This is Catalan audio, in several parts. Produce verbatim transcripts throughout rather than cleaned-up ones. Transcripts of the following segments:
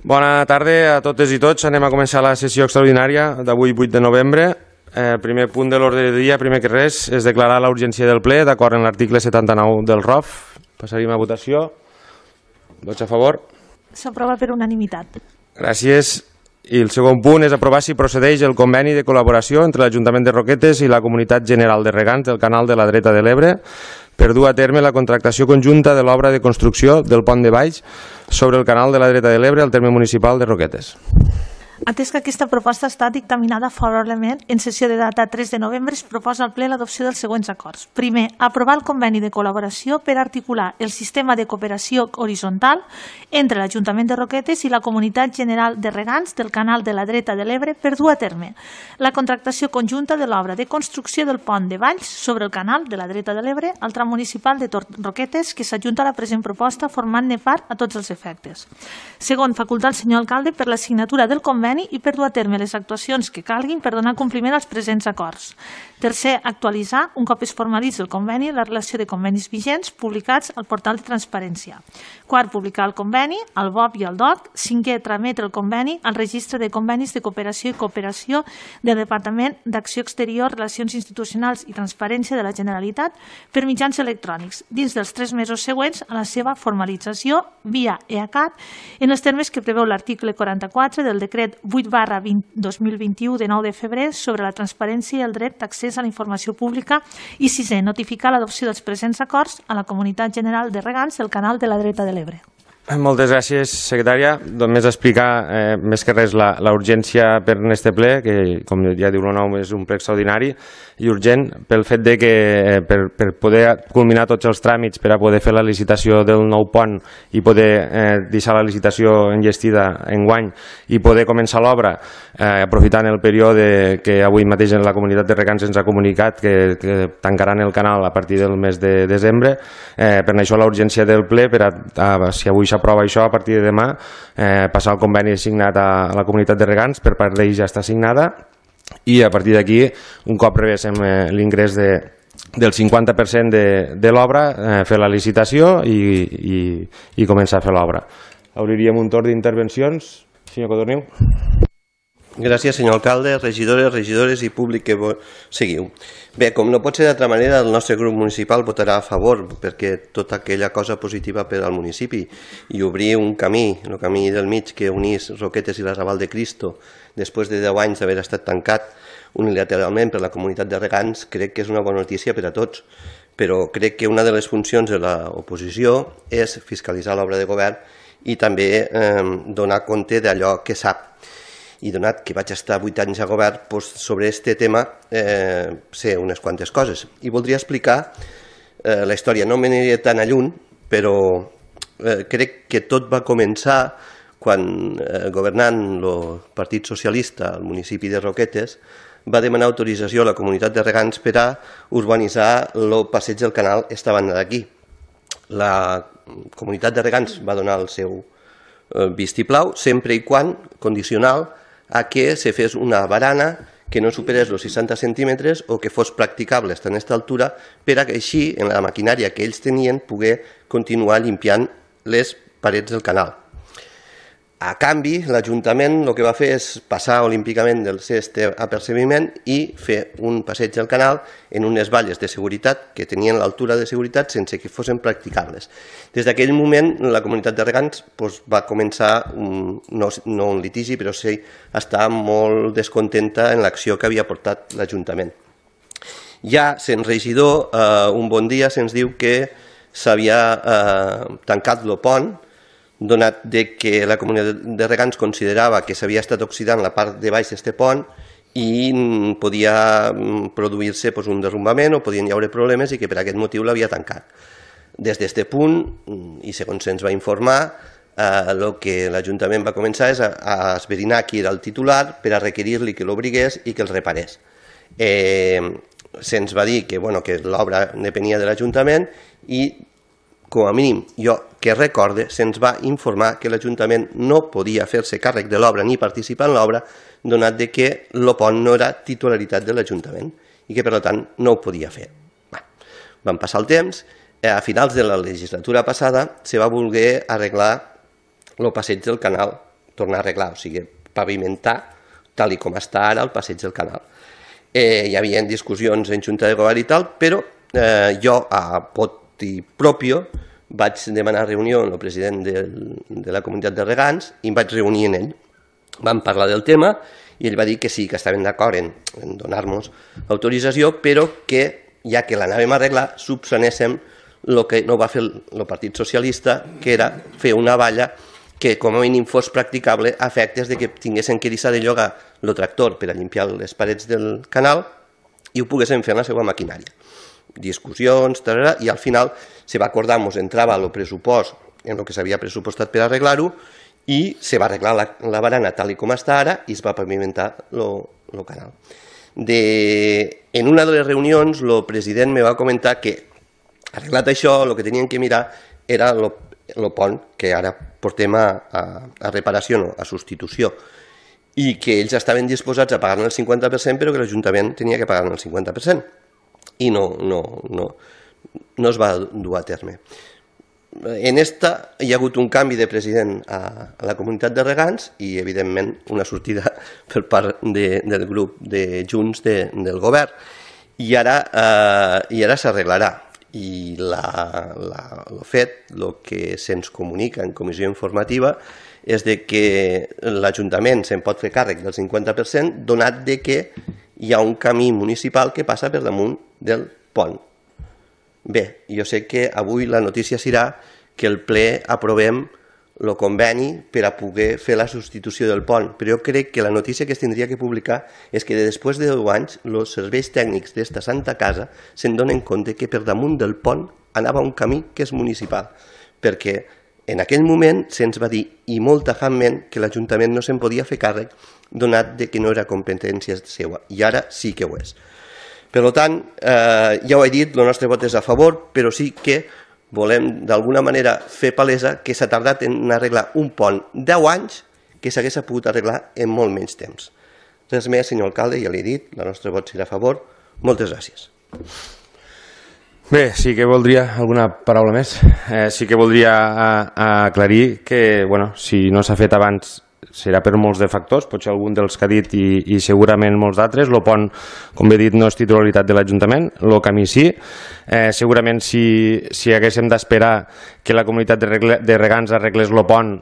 Bona tarda a totes i tots. Anem a començar la sessió extraordinària d'avui, vuit de novembre. El primer punt de l'ordre del dia, primer que res, és declarar la urgència del ple, d'acord amb l'article setanta-nou del R O F. Passaríem a votació. Vots a favor? S'aprova per unanimitat. Gràcies. I el segon punt és aprovar si procedeix el conveni de col·laboració entre l'Ajuntament de Roquetes i la Comunitat General de Regants del Canal de la Dreta de l'Ebre per dur a terme la contractació conjunta de l'obra de construcció del pont de Valls sobre el Canal de la Dreta de l'Ebre al terme municipal de Roquetes. Atès que aquesta proposta està dictaminada favorablement, en sessió de data tres de novembre es proposa al ple l'adopció dels següents acords. Primer, aprovar el conveni de col·laboració per articular el sistema de cooperació horitzontal entre l'Ajuntament de Roquetes i la Comunitat General de Regants del Canal de la Dreta de l'Ebre per dur a terme la contractació conjunta de l'obra de construcció del pont de Valls sobre el Canal de la Dreta de l'Ebre al tram municipal de Roquetes, que s'adjunta a la present proposta formant-ne part a tots els efectes. Segon, facultar al senyor alcalde per la signatura del conveni i per dur a terme les actuacions que calguin per donar compliment als presents acords. Tercer, actualitzar, un cop es formalitzi el conveni, la relació de convenis vigents publicats al portal de transparència. Quart, publicar el conveni, al B O P i al D O C. Cinquè, trametre el conveni al registre de convenis de cooperació i cooperació del Departament d'Acció Exterior, Relacions Institucionals i Transparència de la Generalitat per mitjans electrònics, dins dels tres mesos següents a la seva formalització via E A C A T en els termes que preveu l'article quaranta-quatre del decret vuit barra dos mil vint-i-u de nou de febrer sobre la transparència i el dret d'accés a la informació pública. I sisè, notificar l'adopció dels presents acords a la Comunitat General de Regants del Canal de la Dreta de l'Ebre. Moltes gràcies, secretària. Només explicar eh, més que res la, la urgència per en este ple, que com ja diu el nom és un ple extraordinari i urgent pel fet de que eh, per, per poder culminar tots els tràmits per a poder fer la licitació del nou pont i poder eh, deixar la licitació enllestida enguany i poder començar l'obra eh, aprofitant el període que avui mateix en la Comunitat de Regants ens ha comunicat que, que tancaran el canal a partir del mes de desembre. Eh, per això la urgència del ple per a, a si avui s'aprova això, a partir de demà eh, passar el conveni signat a, a la Comunitat de Regants, per part d'ells ja està signada, i a partir d'aquí, un cop rebéssim eh, l'ingrés de, del cinquanta per cent de, de l'obra, eh, fer la licitació i, i, i començar a fer l'obra. Obriríem un torn d'intervencions. Senyor Codorniu. Gràcies, senyor alcalde, regidores, regidores i públic que seguiu. Bé, com no pot ser d'altra manera, el nostre grup municipal votarà a favor perquè tota aquella cosa positiva per al municipi i obrir un camí, el camí del mig que unís Roquetes i la Raval de Cristo després de deu anys d'haver estat tancat unilateralment per la Comunitat de Regants, crec que és una bona notícia per a tots, però crec que una de les funcions de l'oposició és fiscalitzar l'obra de govern i també eh, donar compte d'allò que sap. I donat que vaig estar vuit anys a govern, doncs sobre aquest tema eh, sé unes quantes coses. I voldria explicar eh, la història. No me n'aniré tan a lluny, però eh, crec que tot va començar quan, eh, governant el Partit Socialista al municipi de Roquetes, va demanar autorització a la Comunitat de Regants per a urbanitzar el passeig del canal esta banda d'aquí. La Comunitat de Regants va donar el seu eh, vistiplau, sempre i quan, condicional, a que se fes una barana que no superés els seixanta centímetres o que fos practicable estar en aquesta altura per a que així, en la maquinària que ells tenien, poder continuar limpiant les parets del canal. A canvi, l'Ajuntament el que va fer és passar olímpicament del aquest apercebiment i fer un passeig del canal en unes valles de seguretat que tenien l'altura de seguretat sense que fossin practicables. Des d'aquell moment, la Comunitat de Regants doncs, va començar, un, no, no un litigi, però sí estar molt descontenta en l'acció que havia portat l'Ajuntament. Ja, sent regidor, eh, un bon dia se'ns diu que s'havia eh, tancat el pont, donat que la Comunitat de Regants considerava que s'havia estat oxidant la part de baix d'aquest pont i podia produir-se un derrumbament o podien hi haure problemes i que per aquest motiu l'havia tancat. Des d'aquest punt, i segons se'ns va informar, el que l'Ajuntament va començar és a esbrinar qui era el titular per a requerir-li que l'obrigués i que el reparés. Se'ns va dir que l'obra depenia de l'Ajuntament i com a mínim, jo que recorde, se'ns va informar que l'Ajuntament no podia fer-se càrrec de l'obra ni participar en l'obra, donat que el pont no era titularitat de l'Ajuntament i que, per tant, no ho podia fer. Van passar el temps, a finals de la legislatura passada se va voler arreglar el passeig del canal tornar a arreglar, o sigui, pavimentar tal i com està ara el passeig del canal. Eh, hi havia discussions en Junta de Govern i tal, però eh, jo a poti propio vaig demanar reunió amb el president de, de la comunitat de regants i em vaig reunir amb ell. Vam parlar del tema i ell va dir que sí, que estaven d'acord en, en donar-nos autorització, però que, ja que l'anàvem a arreglar, subsanéssim el que no va fer el Partit Socialista, que era fer una valla que com a mínim fos practicable a efectes de que tinguessin que deixar de llogar el tractor per a limpiar les parets del canal i ho poguessin fer en la seva maquinària. Discussions, tarara, i al final se va acordar, ens entrava el pressupost en el que s'havia pressupostat per arreglar-ho i se va arreglar la, la barana tal i com està ara i es va pavimentar el canal. De, en una de les reunions el president me va comentar que arreglat això el que tenien que mirar era el pont que ara portem a, a, a reparació, no, a substitució, i que ells estaven disposats a pagar-ne el cinquanta per cent però que l'Ajuntament tenia que pagar-ne el cinquanta per cent i no, no, no, no es va dur a terme. En esta hi ha hagut un canvi de president a, a la comunitat de regants i evidentment una sortida per part de, del grup de Junts de, del govern i ara, eh, i ara s'arreglarà. I la, la, el fet, el que se'ns comunica en comissió informativa és de que l'Ajuntament se'n pot fer càrrec del cinquanta per cent donat de que hi ha un camí municipal que passa per damunt del pont. Bé, jo sé que avui la notícia serà que el ple aprovem el conveni per a poder fer la substitució del pont, però jo crec que la notícia que es tindria que publicar és que després de deu anys els serveis tècnics d'esta santa casa se'n donen compte que per damunt del pont anava un camí que és municipal, perquè en aquell moment se'ns va dir i molt tajantment que l'Ajuntament no se'n podia fer càrrec donat que no era competència seva, i ara sí que ho és. Per tant, eh, ja ho he dit, el nostre vot és a favor, però sí que volem d'alguna manera fer palesa que s'ha tardat en arreglar un pont deu anys que s'hagués pogut arreglar en molt menys temps. Res més, senyor alcalde, ja l'he dit, el nostre vot serà a favor. Moltes gràcies. Bé, sí que voldria alguna paraula més. Eh, sí que voldria a, a aclarir que, bueno, si no s'ha fet abans serà per molts de factors, potser algun dels que ha dit i, i segurament molts d'altres. El pont, com he dit, no és titularitat de l'Ajuntament, el camí sí. Eh, segurament si, si haguéssim d'esperar que la comunitat de, regle, de regants arreglés el pont,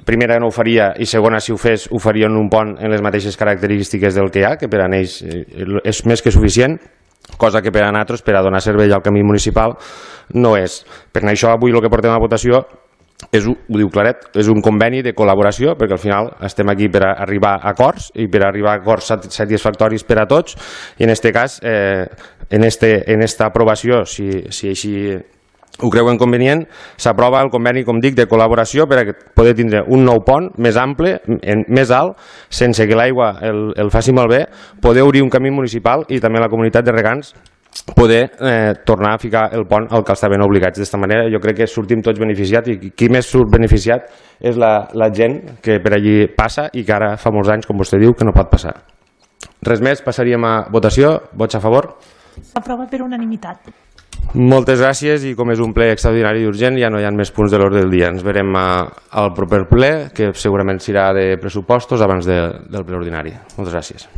primera no ho faria i segona si ho fes ho faria en un pont en les mateixes característiques del que hi ha, que per a ells és més que suficient, cosa que per a nosaltres, per a donar servei al camí municipal, no és. Per això avui el que portem a votació és, ho diu claret, és un conveni de col·laboració, perquè al final estem aquí per a arribar a acords i per a arribar a acords satisfactoris per a tots, i en aquest cas, eh, en este, en esta aprovació, si, si així ho creuen convenient, s'aprova el conveni, com dic, de col·laboració per a poder tindre un nou pont més ample, en, més alt, sense que l'aigua el, el faci malbé, poder obrir un camí municipal i també la comunitat de regants poder eh, tornar a ficar el pont al que estaven obligats. D'esta manera jo crec que sortim tots beneficiats i qui més surt beneficiat és la, la gent que per allí passa i que ara fa molts anys, com vostè diu, que no pot passar. Res més, passaríem a votació. Vots a favor? S'aprova per unanimitat. Moltes gràcies i com és un ple extraordinari i urgent ja no hi ha més punts de l'ordre del dia. Ens veurem a, al proper ple, que segurament serà de pressupostos abans de, del ple ordinari. Moltes gràcies.